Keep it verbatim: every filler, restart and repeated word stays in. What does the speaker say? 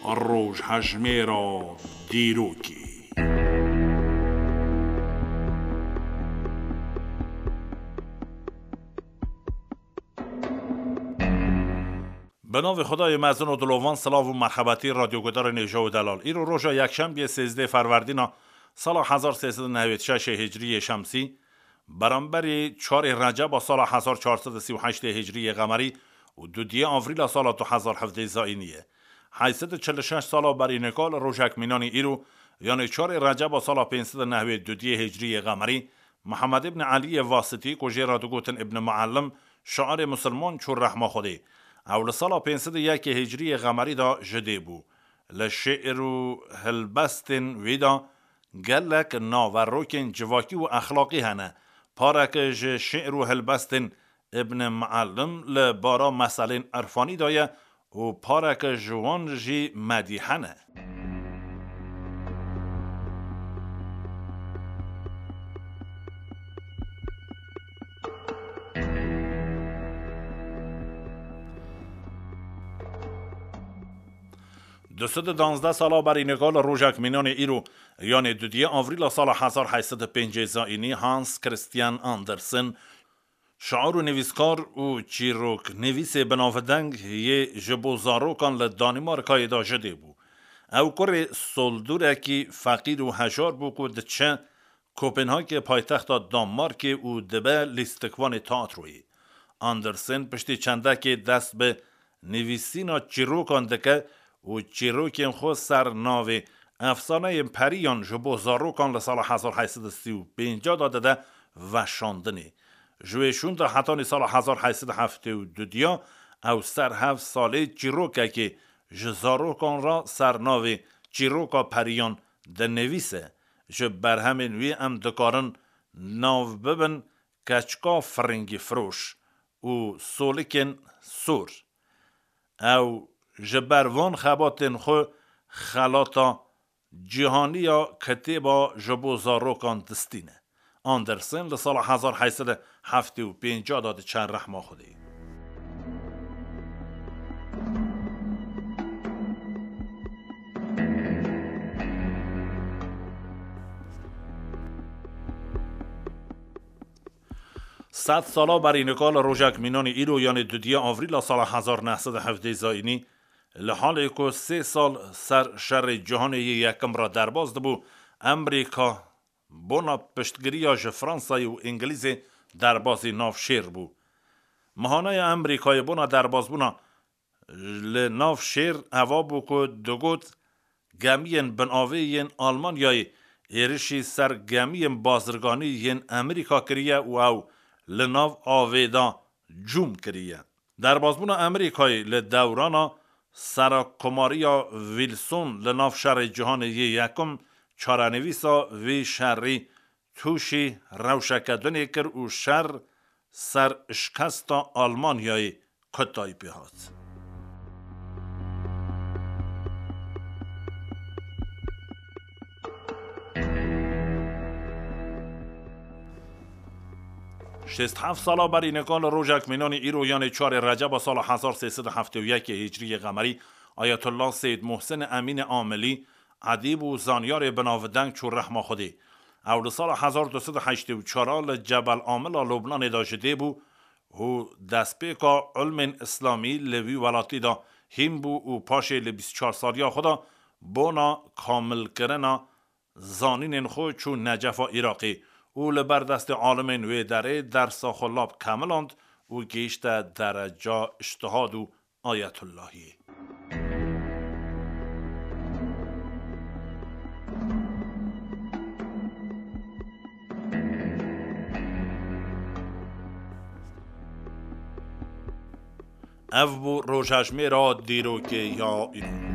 Rojhejmêra dîrokê. Bi navê Xwedayê mezin û dilovan, silav û merhebetî radyogudarên hêja û delal. Îro roja yekşembiyê sêzdeh ferwerdîna sala hezar sê sed û newêd şeşê hicriyê şemsî, beramberî çarê receba sala hezar çar sed û sî û heştê hicriyê qemerî û dudiyê avrîla sala du hezar hevdeh zayînî ye. Heyt sed û çil û şeş sala berî nika li rojek mînanî îro, yanê çarê receba sala pênc sed û newêd dudiyê hicriyê qemerî, Mihemed îbn Eliyê Vasitî, ku jê re digotin Îbn Muellim, şairê misilman çû rehma Xwedê. Ew li sala pênc sed û yekê hicriyê qemerî de ji dê bû. Li şi'r û hilbestên wî de gelek naverokên civakî û exlaqî hene. Pareke ji şi'r û hilbestên Îbn Muellim li bara meselên irfanî de ye û pareke ji wan jî medîhe ne. Du sed û danzdeh sala berî nika li rojek mînanê îro, yanê dudiyê avrîla sala hezar heyt sed û pêncî zayînî, Hans Christian Andersen, şair û nivîskar û çîroknivîsê binavdeng yê ji bo zarokan li Danîmarkayê de ji dê bû. Ew kurê soldûrekî feqîr û hejar bû ku diçe Kopenhagê, paytexta Danmarkê, û dibe lîstikvanê teatroyê. Andersen piştî çendekê dest bi nivîsîna çîrokan dike û çîrokên xwe ser navê Efsaneyên Periyan ji bo zarokan li sala hezar heyt sed û sî û pênc de dide veşandinê. Ji wê şûn de hetanî sala hezar heyt sed û heftê û du diya ew ser heft salê çîrokekê ji zarokan re ser navê Çîroka Periyan dinivîse. Ji berhemên wî em dikarin nav bibin Keçika Firingî Firoş û Solikên Sor. Ew ji ber van xebatên xwe xelata cîhanî ya kitêba ji bo zarokan distîne. Andersen li sala hezar heyt sed û heftê û pênc de diçe rehma Xwedê. Sed sala berî nika li rojek mînanî îro, yanê dudiyê avrîla sala hezar neh sed û hevdeh zayînî, li halê ku sê sal ser şerê cîhanê yê yekim re derbas dibû, Amerîka bona piştgiriya ji Fransayê û Îngilîzê derbasî nav şêr bû. Mihanaya Amerîkayê bona derbasbûna li nav şêr eva bû ku digot, gemiyên binavê yên Almanyayê êrişî ser gemiyên bazirganî yên Amerîka kiriye û ew li nav avê de cûm kiriye. Derbasbûna Amerîkayê li dewrana serakkomariya Wilson li nav şerê cîhanê yê yekim, çarenivîsa vê şerî tûşî rewşeke dinê kir û şer ser şikesta Almanyayê kotayî pê hat. Şêst heft sala berî nika li rojek mînanî îro, yanê çarê receba sala hezar sê sed û heftê û yekê hicriyê qemerî, Ayetullah Seyyid Muhsin Emînê Amilî, edîb û zanyarê binavdeng çû rehma Xwedê. Ew li sala hezar du sed û heştê û çar li Cebel Amila Lubnanê de ji dê bû û destpêka ilmên îslamî li wî welatî de hîn bû û paşê li bîst û çar saliya xwe de bona kamilkirina zanînên xwe çû Necefa Iraqê û li ber destê alimên wê derê dersa xwe lab kemiland û gihîşte dereca îctihad û Ayetullahiyê. Ev bû rojhejmêra dîrokê ya îro.